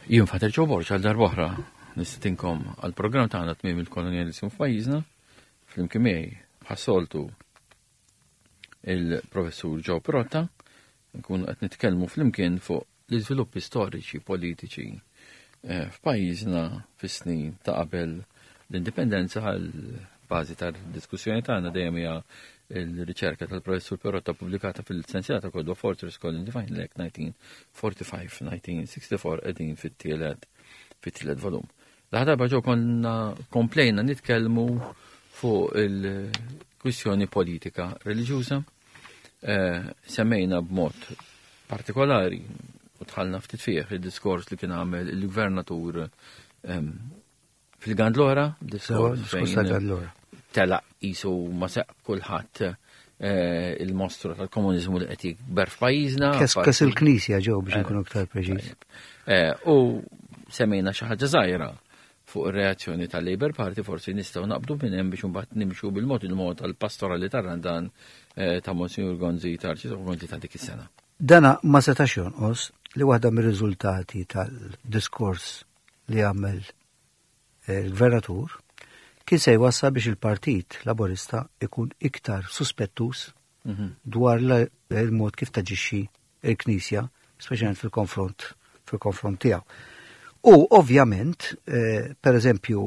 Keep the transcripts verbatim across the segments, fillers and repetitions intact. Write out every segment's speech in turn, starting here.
Jien Father Joe Borg għal darb'oħra nistedinkom għal programm tagħna tmiem il-kolonjaliżmu f'pajjiżna flimkien miegħi bħas-soltu il-professur Joe Pirotta nkunu qed nitkellmu flimkien fuq l-iżviluppi storiċi politiċi eh, f'pajjiżna fis-snin ta' qabel l-indipendenza għal bażi tal-diskussjoni tagħna dejjem hija il-riċerka tal-professur Pirotta pubblikata fil-sensiela ta' kotba Fortress Colin Divine Lake elf disa' mija u erbgħa u erbgħin-elf disa' mija u sitta u erbgħin qegħdin fit-tielet fit-tielet volum. L-darba ġo konna komplejna nitkellmu fuq il-kwistjoni politika reliġjuża. Eh, semmejna b'mod partikolari u dħalna ftit fih il-diskors li kien għamel il-gvernatur em, fil-Gandlora, Sewa, diskors diskors fejn tal-Gandlora. telaq jisu ma seq kulħadd eh, il-mostru tal-komuniżmu li qed jikber f'pajjiżna. Kes kes il-Knisja ġew biex nkunu iktar preċiż. Eh, U semmejna xi ħaġa żgħira fuq ir-reazzjoni tal-Labour Party, forsi nistgħu naqbdu minn hemm biex imbagħad nimxu bil-mod il-mod tal-pastorali tar-Randan eh, ta' Monsignor Gonzi tal-Arċisqof Gonzi ta' dik is-sena. Dana ma setax jonqos li waħda mir-riżultati tal-diskors li għamel eh, il-gvernatur kien se jwassal biex il-Partit Laborista ikun iktar suspettus dwar la- il-mod kif taġixxi il-Knisja, speċjalment fil-konfront fil-konfront tiegħu. U ovvjament, eh, per eżempju,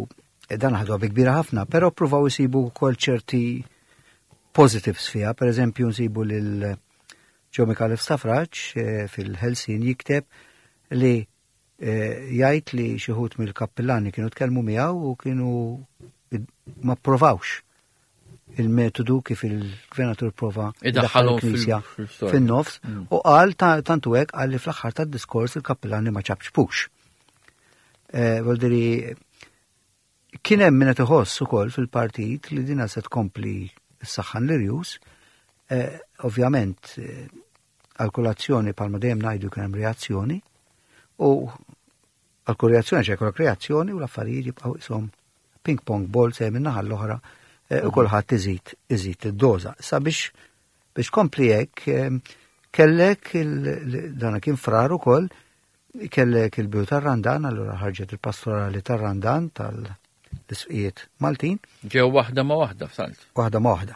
eh, dan ħadu bi kbira ħafna, però pruvaw isibu wkoll ċerti positives fiha, per eżempju nsibu lil Joe Micallef Stafrace eh, fil-Ħelsien jikteb li eh, jgħid li xi wħud mill-kappillani kienu tkellmu miegħu u kienu ma provawx il-metodu kif il-gvernatur prova Idaħħalhom il-Knisja fil- fil-storja. fin-nofs Mm. u qal ta- tantu hekk qal li fl-aħħar tad-diskors il-kappillani ma ċapċpux. Eh, Voldiri, kien hemm min qed iħoss ukoll fil-partit li dina se tkompli s-saħħan l-irjus. Eh, Ovvjament, eh, għal kull azzjoni palma dejjem ngħidu kien hemm reazzjoni u għal kull reazzjoni ċe jkollok reazzjoni u l-affarijiet jibqgħu ishom ping pong ball se minn naħa l-oħra eh, u kulħadd iżid iżid id-doża. Sa biex biex kompli hekk eh, kellek il- dana kien frar ukoll kellek il-bidu tar-Randan, allura ħarġet il-pastorali tar-Randan tal-isqijiet Maltin, Ġew waħda ma waħda f'salt. waħda ma waħda.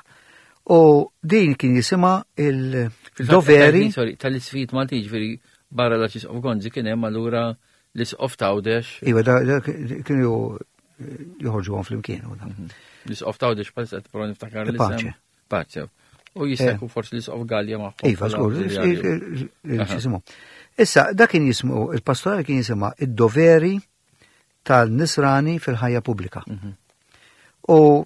U din kien jisimha il-doveri Sorry, tal-isqfijiet Malti ġifieri barra l-Arċisqof Gonzi kien hemm allura l-Isqof t'Għawdex, Iva, da, da, kienu joħorġu għon flimkien. u da. l-Isqof t'Għawdex bħalissa qed prova niftakar l-isem. Pace. Pace. U jista' Eh. jkun forsi l-Isqof Gallia magħhom. Iva, bħala żgur, awżiljarju. x'jismu. Issa, da kien jismu, il-pastorali kien jisimha id-doveri tal-nisrani fil-ħajja pubblika. Mhm. U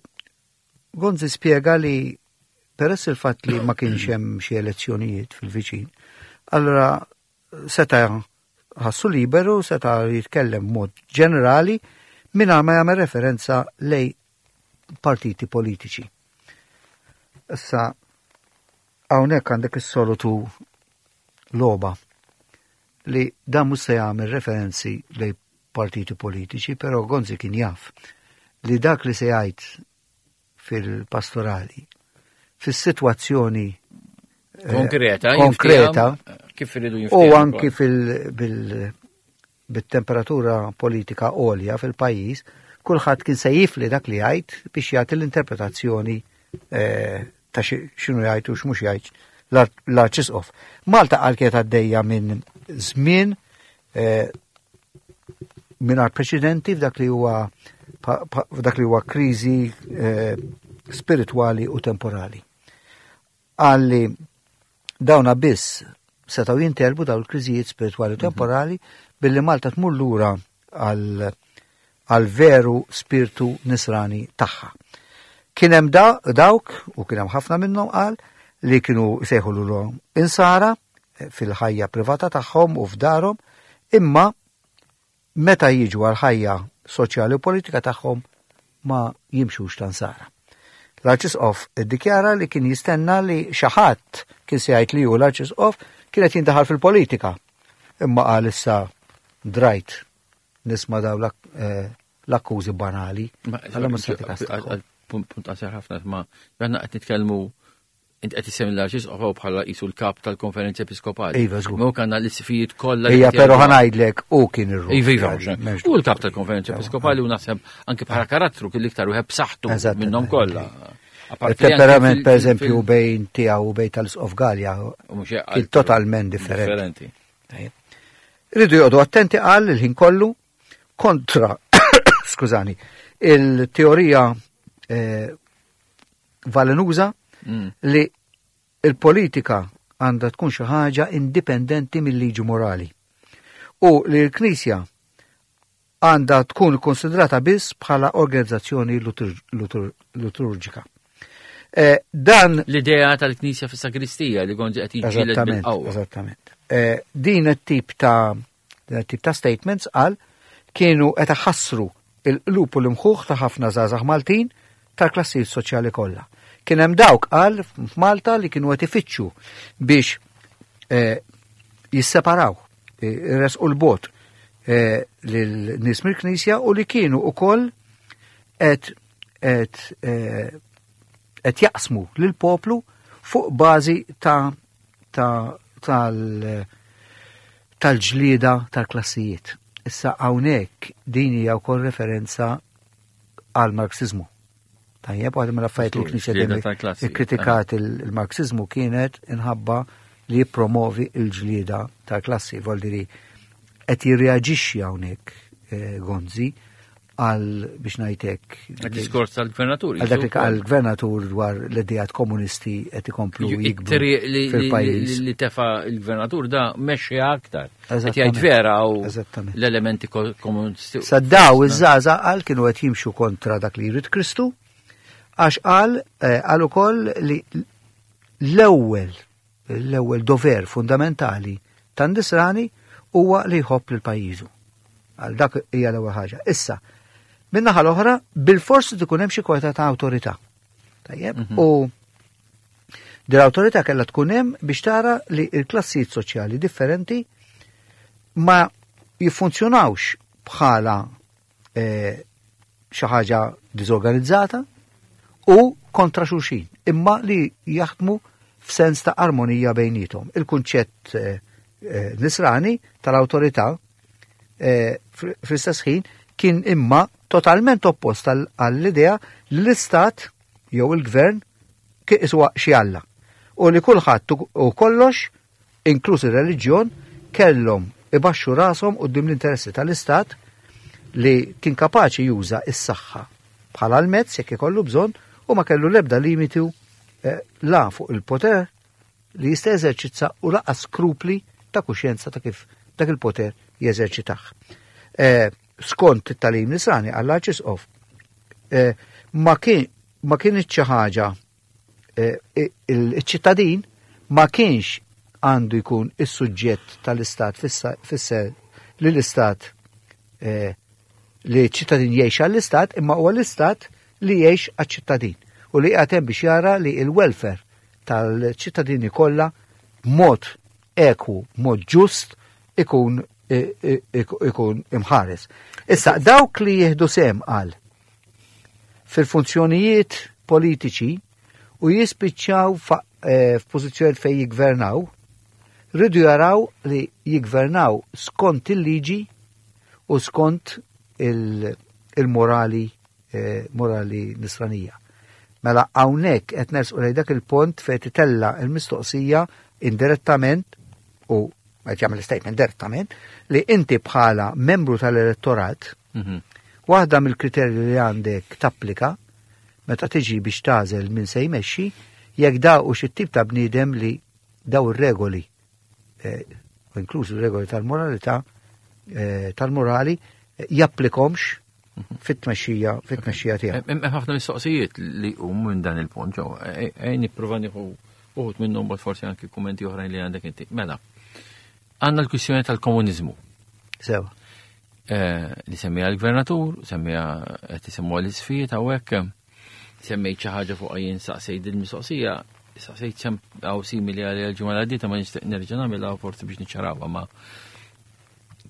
Gonzi spiega li peress il-fatt li ma kienx hemm xi elezzjonijiet fil-viċin, allora seta ħassu liberu, seta jitkellem mod ġenerali mingħajr ma jagħmel referenza lej partiti politiċi. Issa hawnhekk għandek is-soltu logħba li dan mhux se jagħmel referenzi lej partiti politiċi, però Gonzi kien jaf li dak li se jgħid fil-pastorali, fis-sitwazzjoni eh, Konkreta, konkreta jinftiehem, kif iridu u jinftiehem anki ukoll. fil bil bit-temperatura politika għolja fil-pajjiż, kulħadd kien se jifli dak li jgħid biex jagħti l-interpretazzjoni eh, ta' xi- x'inhu jgħid u x'mhux jgħid l-ar- l-Arċisqof. Malta qal kienet għaddejja minn żmien eh, mingħajr preċedenti f'dak li huwa pa- pa- f'dak li huwa kriżi eh, spiritwali u temporali. Għalli dawna biss setgħu jintelbu dawn il-kriżijiet spiritwali u temporali billi Malta tmur lura għal għal veru spiritu nisrani tagħha. Kien hemm da, dawk, u kien hemm ħafna minnhom qal, li kienu sejħu lilhom insara eh, fil-ħajja privata tagħhom u f'darhom, imma meta jiġu għal ħajja soċjali u politika tagħhom ma jimxux ta' nsara. L-Arċisqof iddikjara li kien jistenna li xi ħadd kien se jgħid li hu l-Arċisqof kienet jindaħal fil-politika. Imma qal issa drajt nisma' daw l-ak- eh, l-akkużi banali. Ma- Alla ma se tikas għal- għal- Punt punt qasir ħafna, ma għanna qed nitkellmu Int qed issemmi l-Arċisqof bħala qisu l-kap tal-Konferenza Episkopali. Iva, żgur. Ma kanna l-isqfijiet kollha. li Ija, qed però jgħidu- ħa ngħidlek u kien ir Iva, iva, u l-kap tal-Konferenza Episkopali u naħseb anke bħala karattru kien l-iktar wieħed b'saħħtu Eżattament. minnhom kollha. Apparti li anke Il-temperament, fil- per eżempju, fil- bejn tiegħu u bejn tal-Isqof Galea u mhux hekk kien totalment differenti. Differenti. Ridu joqogħdu attenti għal il-ħin kollu kontra, skużani, il-teorija eh, valenuża Mm. li il-politika għandha tkun xi ħaġa indipendenti mill-liġi morali. U li l-Knisja għandha tkun konsidrata biss bħala organizzazzjoni litur- litur- liturġika. Eh, dan L-idea tal-Knisja fis-sakristija li Gonzi qed jiġġieled Eżattament, bil-qawwa. eżattament. Eh, din it-tip ta' din it-tip ta' statements qal kienu qed iħassru il-qlub u l-imħuħ ta' ħafna żgħażagħ Maltin tal-klassijiet soċjali kollha. Kien hemm dawk qal f'Malta li kienu qed ifittxu biex eh, jisseparaw, eh, resqu l-bot eh, lil nies mill-Knisja u li kienu ukoll qed qed eh, qed jaqsmu lil poplu fuq bażi ta' ta' tal tal-ġlieda tal-klassijiet. Issa hawnhekk din hija wkoll referenza għal Marxizmu. Tajjeb, waħda mill-affarijiet li Żgur, l-Knisja ġlieda dejjem tal-klassi, ikkritikat il-Marxizmu kienet inħabba li jippromovi il-ġlieda tal-klassi. Voldiri, qed jirreaġixxi hawnhekk eh, Gonzi għal biex ngħidlek Għad-diskors tal-gvernatur. għal dak li għal-gvernatur dwar l-idejat komunisti qed ikomplu jikbru It-triq li- li fil-pajjiż. li tefa il-gvernatur da mexxi aktar. Qed Eżattament. jgħid vera u Eżattament. l-elementi ko- komunisti. Sa daw iż-żgħażagħ qal kienu qed jimxu kontra dak li jrid Kristu għax qal eh, qal ukoll li l-ewwel l-ewwel dover fundamentali tan-nisrani huwa li jħobb lil pajjiżu. Għal dak hija l-ewwel ħaġa. Issa, min-naħa l-oħra, bil-forsi tkun hemm xi kwalità ta' awtorità. Tajjeb, u din l-awtorità kellha tkun hemm biex tara li l-klassijiet soċjali differenti ma jiffunzjonawx bħala eh, xi ħaġa diżorganizzata u kontra xulxin, imma li jaħdmu f'sens ta' armonija bejnietom. Il-kunċett eh, eh, nisrani tal-awtorità eh, fl- fl-istess ħin kien imma totalment oppost għall- għall-idea li l-istat jew il-gvern kien iswa xi Alla. U li kulħadd u u kollox, inkluż ir-reliġjon, kellhom ibaxxu rashom quddiem l-interessi tal-istat li kien kapaċi juża is-saħħa bħala l-mezz jekk ikollu bżonn u ma kellu l-ebda limitu eh, la fuq il-poter li jista' jeżerċizza u lanqas skrupli ta' kuxjenza ta' kif dak il-poter jeżerċitah. Eh, skont it-tagħlim nisrani għall-Arċisqof eh, ma kien ma kienx xi ħaġa eh, il-ċittadin ma kienx għandu jkun is-suġġett tal-istat fissa- fisser li l-istat eh, li ċittadin jgħix għall-istat imma huwa l-istat li jgħix għaċ-ċittadin u li qiegħed hemm biex jara li il-welfare tal-ċittadini kollha b'mod eku, b'mod ġust ikun i- i- ikun imħares. Issa dawk li jieħdu sem għal fil-funzjonijiet politiċi u jispiċċaw fa- eh, f'pożizzjoni fejn jigvernaw, rridu jaraw li jigvernaw skont il-liġi u skont il- il-morali eh, morali nisranija. Mela hawnhekk qed nersqu lejn dak il-pont fejn titella il-mistoqsija indirettament u qed jagħmel statement direttament li inti bħala membru tal-elettorat Mhm. Waħda mill-kriterji li għandek tapplika meta tiġi biex tagħżel min se jmexxi jekk daw u xi tip ta' bniedem li daw ir-regoli eh, u inkluż ir-regoli tal-moralità eh, tal-morali eh, japplikomx fit-tmexxija fit-tmexxija tiegħu. Hemm hemm ħafna mistoqsijiet li hum minn dan il-punt ġew. Ejn nipprova nieħu uħud minnhom bad forsi anki kummenti oħrajn li għandek inti. Mela, għandna l-kwistjoni tal-komuniżmu. Sewa. Eh, li semmija l-gvernatur, semmija qed isemmuha l-isqfijiet hawnhekk, semmejt xi ħaġa fuq jien saqsejt il-mistoqsija, saqsejt sem hawn simili għal il-ġimgħa l għaddiet ma nixtieq nerġa' nagħmilha forsi biex niċċarawha ma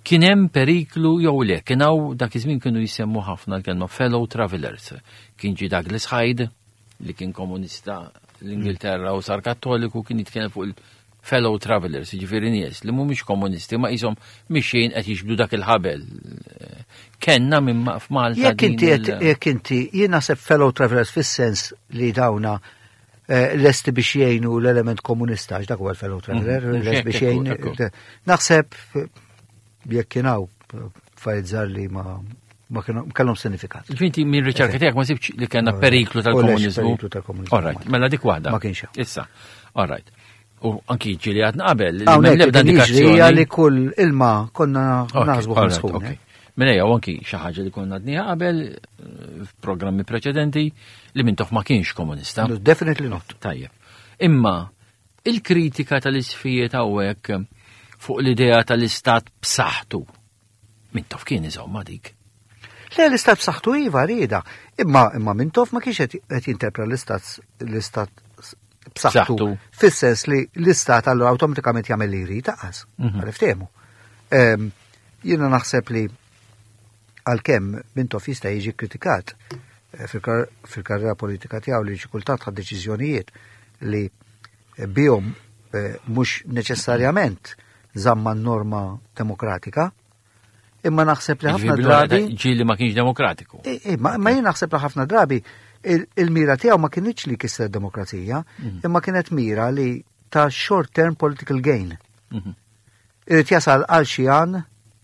kien hemm periklu jew le, kien hawn dak iż-żmien kienu jisemmu ħafna l-kelma fellow travelers. Kien ġie Douglas Hyde li kien komunista l-Ingilterra u sar Kattoliku, kien jitkellem fuq il-fellow travelers, jiġifieri nies li mhumiex komunisti ma qishom mixjin qed jiġbdu dak il-ħabel. Kellna minn f'Malta. Jekk inti jekk inti jien naħseb fellow travelers fis-sens li dawna eh, lesti biex jgħinu l-element komunista, għax dak huwa l-fellow traveler, Mhm. lest biex jgħin. Naħseb jekk kien hawn affarijiet li ma ma kienu kellhom sinifikat. Inti minn riċerka tiegħek ma sibx li kellna periklu tal-komuniżmu. Periklu tal-komuniżmu. All right, mela dik waħda. Ma kienx hawn. Issa, all right. U anki ġieli għadna qabel li m'hemm Hawnhekk l-ebda qed jiġri indikazzjoni. li kull ilma konna Ok, naħsbu all right, sħun. ok. Mela jew anki xi ħaġa li konna għadniha qabel eh, f'programmi preċedenti li Mintoff ma kienx komunista. No, definitely not. Tajjeb. Imma il-kritika tal-isqfijiet hawnhekk fuq l-idea tal-istat b'saħħtu. Mintoff kien iżomma dik. Le, l-istat b'saħħtu iva rieda. Imma imma Mintoff ma kienx qed qed jinterpreta l-istat l-istat b'saħħtu B'saħħtu. fis-sens li l-istat allura awtomatikament jagħmel li jrid taqas. Mhm. Għal Ehm, Jiena naħseb li għalkemm Mintoff jista' jiġi kritikat eh, fil-kar- fil-karriera politika tiegħu li xi kultant ħa deċiżjonijiet li eh, bihom eh, mhux neċessarjament żamma n-norma demokratika, imma naħseb li ħafna Jiġifieri drabi Ġieli ma kienx demokratiku. E, e, ma, ma jien naħseb li ħafna drabi il- il-mira tiegħu ma kienx li kisser demokrazija, imma kienet mira li ta' short term political gain. Mhm. Irid jasal għal xi għan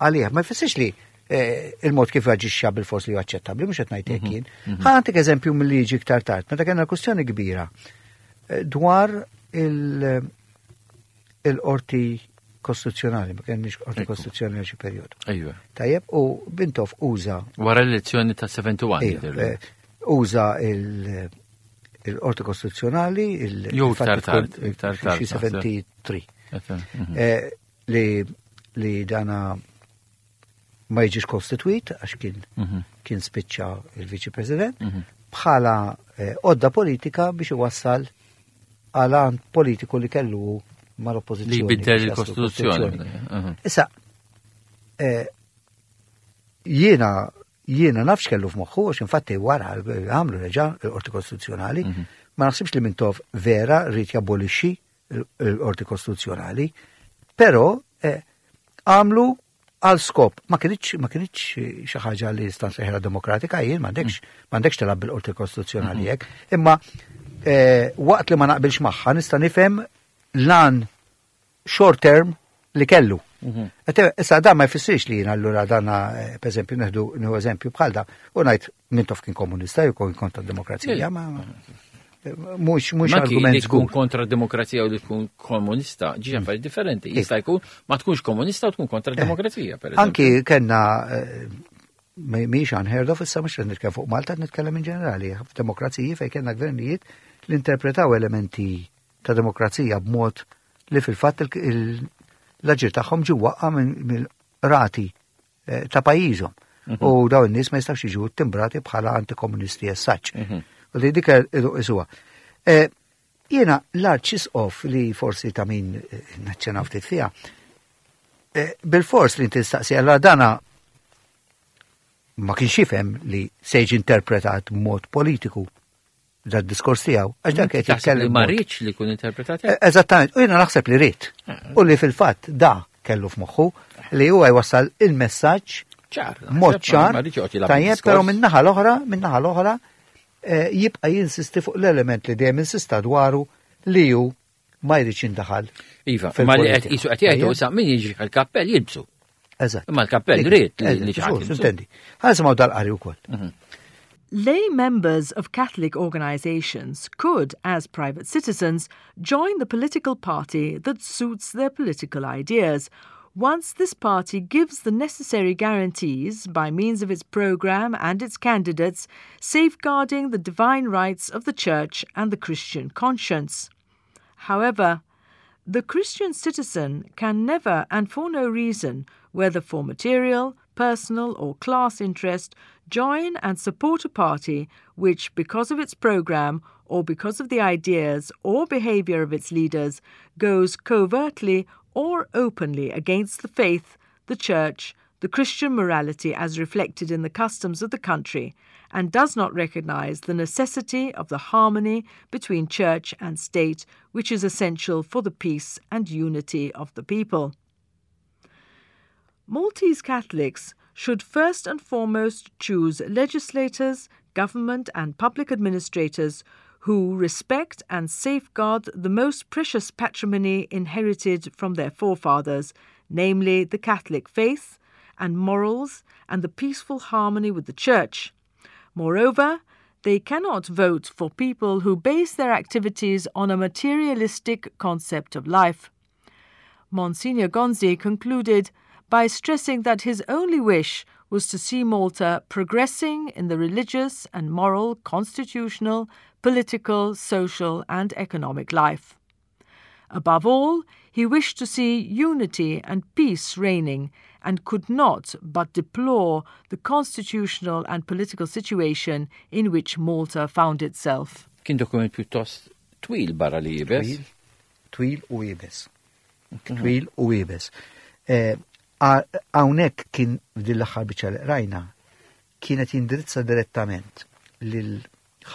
għalih. Ma jfissirx li eh, il-mod kif aġixxa bil-fors li huwa aċċettabbli, mhux qed ngħid hekk jien. Ħa nagħtik eżempju mill-liġi iktar tard, meta kellna kwestjoni kbira eh, dwar il- il-qorti kostituzzjonali, ma kienx qorti Ekku. kostituzzjonali għal xi perjodu. Ejwa. Tajjeb, u Mintoff uża Wara l-elezzjoni ta' sebgħa u sebgħin. Ejja, jidher. eh, uża il- il-qorti kostituzzjonali, il- Jew il-fatt iktar li tkun tard, iktar tard, xi naħseb. tlieta u sebgħin. Mhm. Eh, Li li dana ma jiġix kostituit għax kien Mhm. kien spiċċa il-Viċi President Mhm. bħala eh, għodda politika biex iwassal għal għan politiku li kellu mal-oppożizzjoni. Li jbiddel biex jaslu il-Kostituzzjoni. Mhm. Issa, eh, jiena jiena nafx kellu f'moħħu, għax infatti wara għamlu reġa il-Qorti Kostituzzjonali, Mhm. ma naħsibx li Mintoff vera ried jabolixxi il-Qorti Kostituzzjonali, però eh, għamlu għal skop, ma kienx ma kienx xi ħaġa li nista' nsejħilha demokratika, jien m'għandekx m'għandekx tilgħab bil-Qorti Kostituzzjonali hekk, imma eh, waqt li ma naqbilx magħha nista' nifhem l-għan short term li kellu. Mhm. Ete, issa dan ma jfissirx li jien allura dana, eh, per eżempju, neħdu nieħu eżempju bħal da, u ngħid Mintoff kien komunista jew kien kontra d-demokrazija, ma mhux mhux Ma ki argument li tkun żgur. kontra demokrazija u li tkun komunista, ġiġ affarijiet differenti. Jista' jkun ma tkunx komunista u tkun kontra demokrazija, per eżempju. Anki kellna eh, mhix unheard of, issa mhux qed nitkellem fuq Malta, qed nitkellem in ġenerali, f'demokraziji fejn kellna gvernijiet li interpretaw elementi ta' demokrazija b'mod li fil-fatt il- il- l-aġir tagħhom ġie waqqa mill-rati eh, ta' pajjiżhom. U dawn in-nies ma jistgħux jiġu timbrati bħala antikomunisti as such. Mhm. U li dik isuha. Eh, Jiena l-arċisqof li forsi ta' min eh, naċċenaw ftit fiha, eh, bil-fors li inti tistaqsi allora dana ma kienx jifhem li se jiġi interpretat b'mod politiku da diskors tiegħu, għax dak qed Taħseb li jitkellem ma mod- riedx li jkun interpretat Eh, Eżattament, u jiena naħseb li ried. U li fil-fatt da kellu f'moħħu li huwa jwassal il-messaġġ ċar. mod ċar, Ma riedx joqgħod jilgħab tajjeb, bil-diskors. però min-naħa l-oħra, min-naħa l-oħra, eh, jibqa' jinsisti fuq l-element li dejjem insista dwaru li hu ma jridx jindaħal. Iva, ma li qed fil-politika. qisu qed jgħidu Tajjeb? issa min jiġi l-kappell jilbsu. Eżatt. Imma l-kappell Dik- ried li eżatt, li xi ħadd żgur, jilbsu. Intendi. Ħa nisimgħu dal-qari wkoll. Lay members of Catholic organizations could, as private citizens, join the political party that suits their political ideas, once this party gives the necessary guarantees by means of its program and its candidates, safeguarding the divine rights of the Church and the Christian conscience. However, the Christian citizen can never and for no reason, whether for material, personal, or class interest, join and support a party which, because of its program or because of the ideas or behavior of its leaders, goes covertly or openly against the faith, the Church, the Christian morality as reflected in the customs of the country and does not recognize the necessity of the harmony between church and state, which is essential for the peace and unity of the people. Maltese Catholics should first and foremost choose legislators, government, and public administrators who respect and safeguard the most precious patrimony inherited from their forefathers, namely the Catholic faith and morals and the peaceful harmony with the Church. Moreover, they cannot vote for people who base their activities on a materialistic concept of life. Monsignor Gonzi concluded by stressing that his only wish was to see Malta progressing in the religious and moral, constitutional, political, social, and economic life. Above all, he wished to see unity and peace reigning and could not but deplore the constitutional and political situation in which Malta found itself. Kien dokument pjuttost twil barra li iebes. Twil, twil u iebes. Twil u iebes. Eh, hawnhekk kien f'din l-aħħar biċċa li rajna kienet jindirizza direttament lil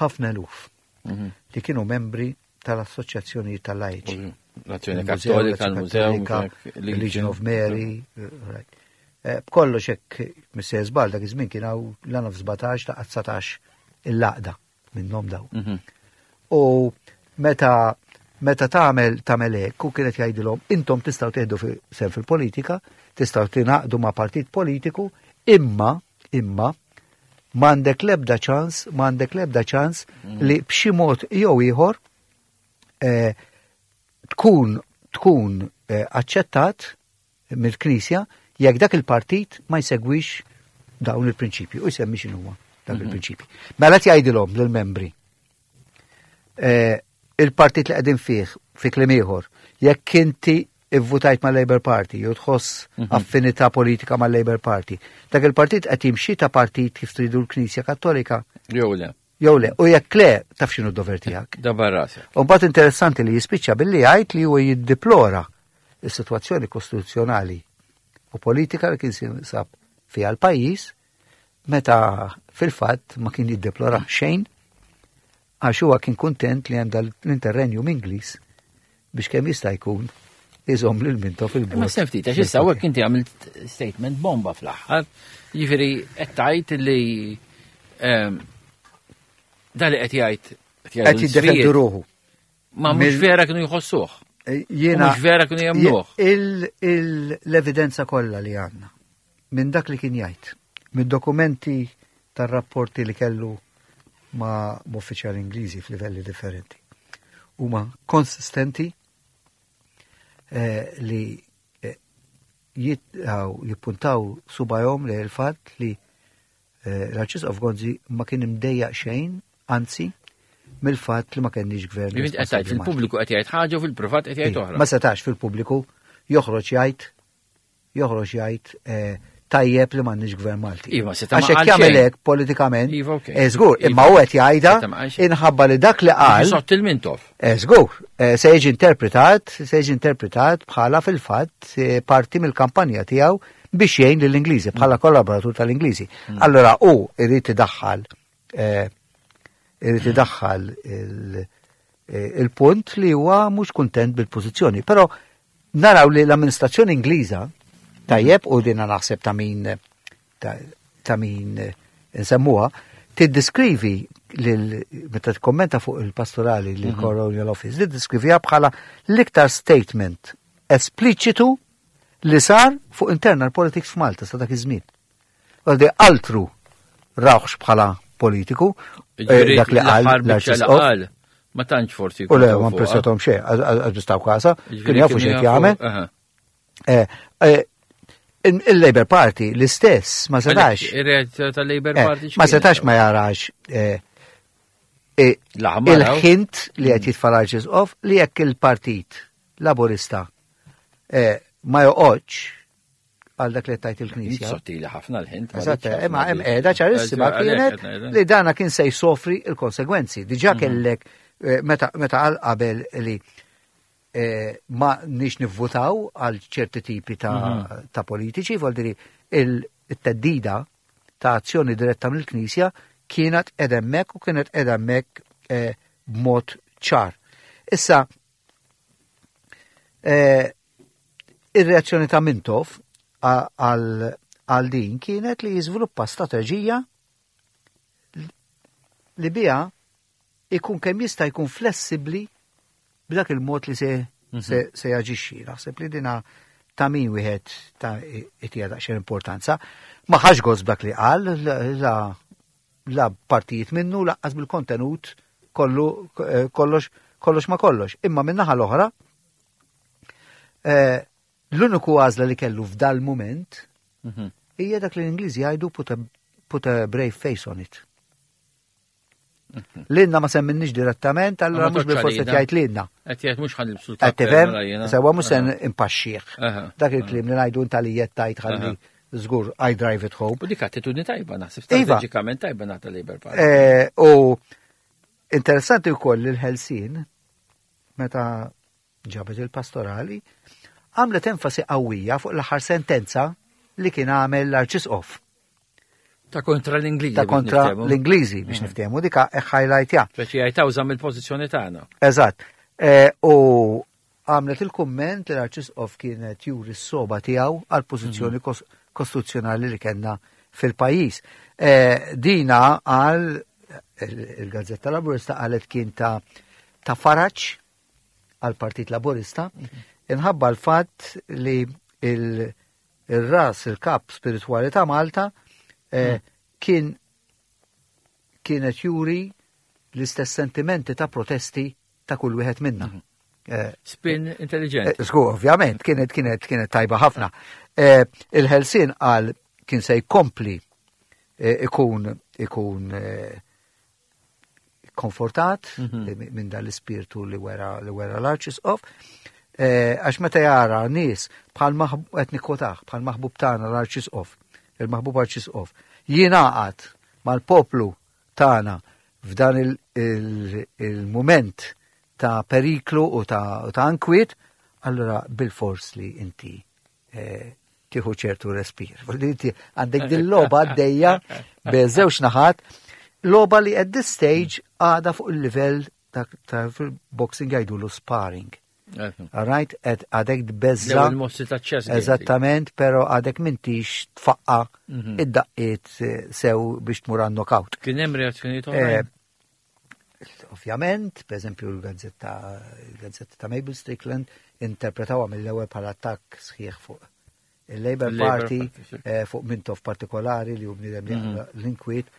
ħafna eluf Mhm. li kienu membri tal-assoċjazzjoni tal-lajċi. L-Azzjoni Il-Mużew, Kattolika, il-Mużew, Kattolika, Legion of Mary, right. Eh, B'kollox hekk Missejjer żball dak iż-żmien kien hawn l sbatax ta' dsatax il-għaqda minnhom daw. Mhm. U meta meta tagħmel tagħmel hekk u kienet jgħidilhom intom tistgħu tieħdu fi- sehem fil-politika, tistgħu tingħaqdu ma' partit politiku, imma imma m'għandek l-ebda ċans, m'għandek l-ebda ċans li b'xi mod jew ieħor eh, tkun tkun eh, aċċettat mill-Knisja jekk dak il-partit ma jsegwix dawn il-prinċipji u jsemmi x'inhuwa dak il-prinċipji. Mela qed jgħidilhom lill-membri eh, il-partit li qegħdin fih fi kliem ieħor, jekk inti ivvutajt ma' Labour Party jew tħoss affinità politika ma' Labour Party, dak il-partit qed jimxi ta' partit kif tridu l-Knisja Kattolika Jew le, jew le, u jekk le taf x'inhu d-dover tiegħek. Dabbar rasek. U mbagħad interessanti li jispiċċa billi jgħid li huwa jiddeplora is-sitwazzjoni kostituzzjonali u politika li kien sab fiha l-pajjiż meta fil-fatt ma kien jiddeplora xejn għax huwa kien kuntent li hemm l-interrenju Ingliż biex kemm jista' jkun iżomm lil Mintoff fil-bord. Ma sen ftit, għax issa hawnhekk inti għamilt statement bomba fl-aħħar. Jiġifieri qed tgħid li ehm, da li qed jgħid qed jgħidu Qed jiddefendu l-isfijiet, ruħu. Ma mhux Mill- vera kienu jħossuh. Eh, Jiena U mhux vera kienu jemmnuh. Il- il- L-evidenza kollha li għandna minn dak li kien jgħid, minn dokumenti tar-rapporti li kellu ma' uffiċjali Ingliżi f'livelli differenti. Huma konsistenti eh, li eh, jitgħu jippuntaw subajhom li l-fatt li eh, l-Arċisqof Gonzi ma kien imdejjaq xejn, anzi, mill-fatt li ma kenniex gvern. Jiġifieri qed tgħid responsabbli Malti. fil-pubbliku qed jgħid ħaġa u fil-privat qed jgħid Iva, oħra. Ma setax fil-pubbliku joħroġ jgħid joħroġ jgħid eh, tajjeb li m'għandniex gvern Malti. Iva, seta' ma Għax hekk qal jagħmel xejn. hekk politikament. Iva, okej. eh, Żgur, Iva. imma hu qed jgħidha Seta' ma qal xejn. inħabba li dak li qal Sott il-Mintoff. eh, Żgur, eh, se jiġi interpretat, se jiġi interpretat bħala fil-fatt eh, parti mill-kampanja tiegħu biex jgħin lill-Ingliżi bħala kollaboratur tal-Ingliżi. Allora hu irid idaħħal eh, irid idaħħal il- eh, il-punt li huwa mhux kuntent bil-pożizzjoni. Però naraw li l-amministrazzjoni Ingliża tajjeb u dina naħseb ta' min ta', ta' min eh, nsemmuha, tiddeskrivi lil meta tikkommenta fuq il-pastorali lil Colonial Office, tiddeskriviha bħala l-iktar statement espliċitu li sar fuq internal politics f'Malta sa dak iż-żmien. Għaldi altru rawħx bħala politiku, eh, Jiġifieri dak li qal l-aħħar biċċa li l-Arċisqof. qal, ma tantx forsi. U le, jkun ma fuqha. impressjonathom xejn, għax bistaw kasa, Jiġifieri kienu jafu kienu xejn jafu- jagħmel. aha. Eh, eh, il- Il-Labour Party l-istess ma setax. Ir-reazzjoni tal-Labour eh, Party Ma x'kienet? setax ma jarax eh, eh, L-aħmar hawn. il-hint li qed jitfa' l-Arċisqof li jekk il-Partit Laburista eh, ma joqgħodx għal dak li tajt il-Knisja. Sottili ħafna l-hint. ma Eżatt, rridx ħafna imma hemm di. qiegħda ċarissima Għalhekk kienet qed ngħidha. li dana kien se jsofri il-konsegwenzi. Diġà kellek eh, meta meta qal qabel li eh, ma nix nivvutaw għal ċerti tipi ta', ta' politiċi, vuol dire Il-theddida ta' azzjoni diretta mill-Knisja kienet edemmek u kienet edemmek eh, b'mod ċar. Issa, eh, ir-reazzjoni ta' Mintoff għal din kienet li jiżviluppa strateġija li biha ikun kemm jista' jkun flessibbli b'dak il-mod li se, mm -hmm. se, se jaġixxi. Naħseb li dina ta' min wieħed ta' itija daqsxejn importanza. Ma ħax gost b'dak li qal, la, la partijiet minnu, lanqas bil-kontenut kollu eh, kollox kollox ma kollox. Imma min-naħa l-oħra, eh, l-uniku għażla li kellu f'dal moment mhm. hija dak li l-Ingliżi jgħidu put a, put a brave face on it. Mhm. Lilna ma semminix direttament, allora mhux bil-forsi jgħid lilna. Qed jgħid mhux ħa nilbsu. Qed tifhem, sewwa mhux se impaxxih. Dak il-kliem li ngħidu inta li tajt ħalli żgur I drive it home. U dik attitudni tajba naħseb iva. strateġikament tajba naħta Labour Party. Eh, u interessanti wkoll il-Ħelsien meta ġabet il-pastorali għamlet enfasi qawwija fuq l-aħħar sentenza li kien għamel l-Arċisqof. Ta' kontra l-Ingliżi. Ta' kontra l-Ingliżi biex mhm. niftehmu dika highlight ja. Speċi jgħid mill-pożizzjoni tagħna. Eżatt. Eh, u għamlet il-kumment li l-Arċisqof kienet juri s-sogħba tiegħu għal pożizzjoni mhm. kostituzzjonali li kellna fil-pajjiż. Eh, dina għal il-Gazzetta Laburista qalet kien ta' ta' faraġ għal Partit Laburista mhm. inħabba l-fatt li il-ras, il-kap spirituali ta' Malta eh, mm. kien kienet juri l-istess sentimenti ta' protesti ta' kull wieħed minna. Mhm. Eh, Spin intelligent. Eh, żgur, ovvjament, kienet kienet kienet tajba ħafna. Il-Ħelsien qal kien se jkompli ikun ikun konfortat mhm. minn dan l-ispirtu li wera li wera l-Arċisqof. Għax meta jara nies bħal qed nikkwotah bħal maħbub tagħna l-Arċisqof, il-maħbub Arċisqof, jingħaqad mal-poplu tagħna f'dan il-moment ta' periklu u ta' ta' ankwiet, allora bil-fors li inti eh, tieħu ċertu respir. Inti għandek din logħba għaddejja b'żewġ naħat, logħba li at this stage għada fuq il-livell ta' fil-boxing jgħidulu sparring. All right, għadek tbeżża. Il-mossi ta' ċess. Eżattament, pero għadek m'intix tfaqqa mhm. id-daqqiet eh, sew biex tmur għan knockout. Kien hemm reazzjonijiet oħrajn? Eh, ovvjament, per eżempju l-gazzetta il-gazzetta ta' Mabel Strickland interpretawha mill-ewwel bħala attakk sħiħ fuq il-Labour Party, eh, fuq Mintoff partikolari li hu bniedem li mhm. l-inkwiet,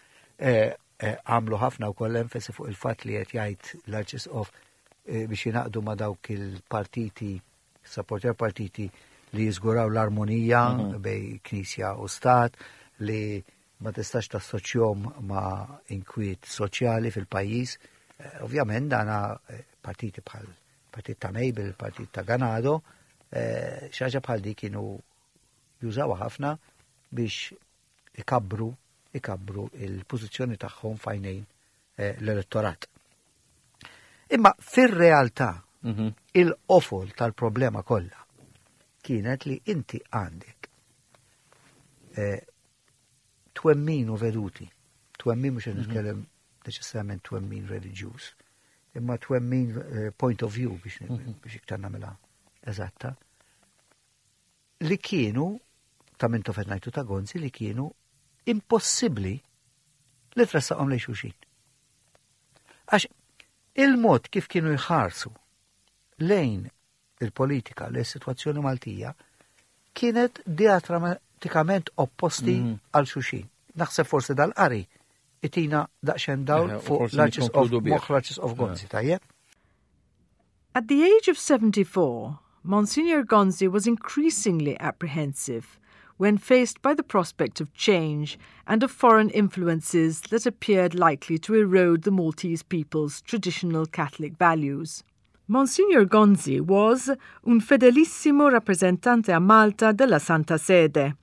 għamlu ħafna wkoll enfasi fuq il-fatt li qed jgħid l-Arċisqof Eh, biex jingħaqdu ma' dawk il-partiti, supporter partiti li jiżguraw l-armonija mm -hmm. bejn Knisja u Stat, li ma tistax tassoċjahom ma' inkwiet soċjali fil-pajjiż. Eh, ovvjament dana eh, partiti bħal partit ta' Mabel, partit ta' Ganado, xi ħaġa bħal di kienu jużaw ħafna biex ikabbru ikabbru il-pożizzjoni tagħhom f'għajnejn l-elettorat. Imma fir-realtà mhm. il-qofol tal-problema kollha kienet li inti għandek eh, twemmin u veduti. Twemmin mhux mhm. nitkellem neċessarjament twemmin reliġjuż, imma twemmin eh, point of view biex mhm. biex iktar nagħmilha eżatta. Li kienu ta' Mintoff ngħidu ta' Gonzi li kienu impossibbli li tressaqhom lejn xulxin. Għax il-mod kif kienu jħarsu lejn il-politika, lejn situazzjoni Maltija, kienet diametrakament opposti mm. għal xulxin. Naħseb forsi dal-qari itina daqsxejn dawl fuq l-Arċisqof moħħ l-Arċisqof Gonzi, tajjeb? At the age of seventy-four, Monsignor Gonzi was increasingly apprehensive when faced by the prospect of change and of foreign influences that appeared likely to erode the Maltese people's traditional Catholic values. Monsignor Gonzi was un fedelissimo rappresentante a Malta della Santa Sede.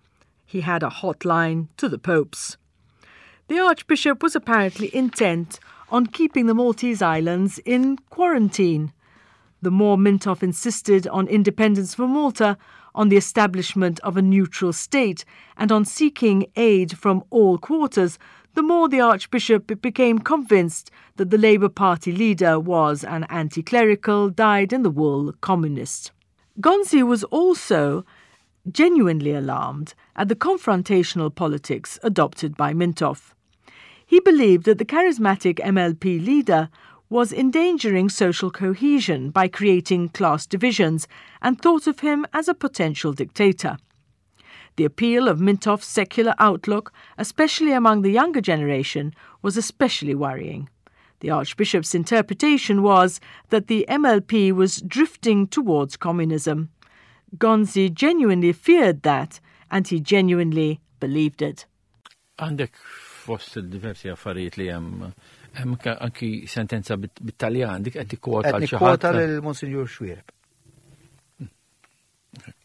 He had a hotline to the popes. The Archbishop was apparently intent on keeping the Maltese Islands in quarantine. The more Mintoff insisted on independence for Malta, on the establishment of a neutral state, and on seeking aid from all quarters, the more the Archbishop became convinced that the Labour Party leader was an anti clerical, dyed in the wool communist. Gonzi was also genuinely alarmed at the confrontational politics adopted by Mintoff. He believed that the charismatic M L P leader was endangering social cohesion by creating class divisions and thought of him as a potential dictator. The appeal of Mintoff's secular outlook, especially among the younger generation, was especially worrying. The Archbishop's interpretation was that the M L P was drifting towards communism. Gonzi genuinely feared that, and he genuinely believed it. Għandek fost il-diversi affarijiet li hemm hemm anki sentenza bit-Taljan, dik qed tikkwota. Qed nikkwota lil Monsinjur Xuereb.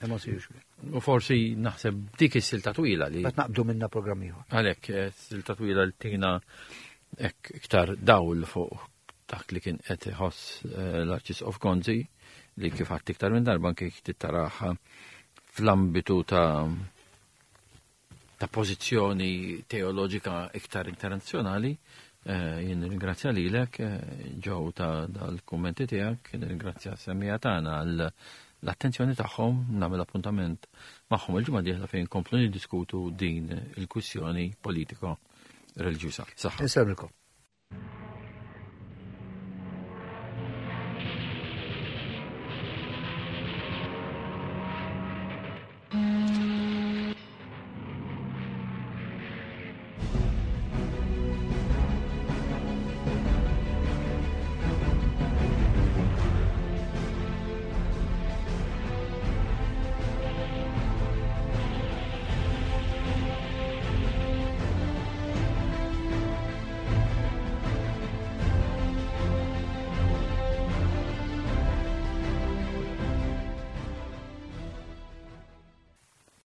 Monsignor Xuereb. U forsi naħseb dik is-silta twila li. Qed naqbdu minna programm ieħor. Għalhekk eh, silta twila li tina iktar dawl fuq dak li kien qed iħoss eh, l-Arċisqof Gonzi, li kif għedt iktar minn darba anke tittaraħ fl-ambitu ta' ta' pożizzjoni teoloġika iktar internazzjonali. Eh, jien ringrazzja lilek, Joe, ta' dal-kummenti tiegħek, ringrazzja semmiegħa tagħna għal l-attenzjoni tagħhom, nagħmel appuntament magħhom il-ġimgħa dieħla fejn komplu niddiskutu din il-kwistjoni politiko reliġjuża. Saħħa.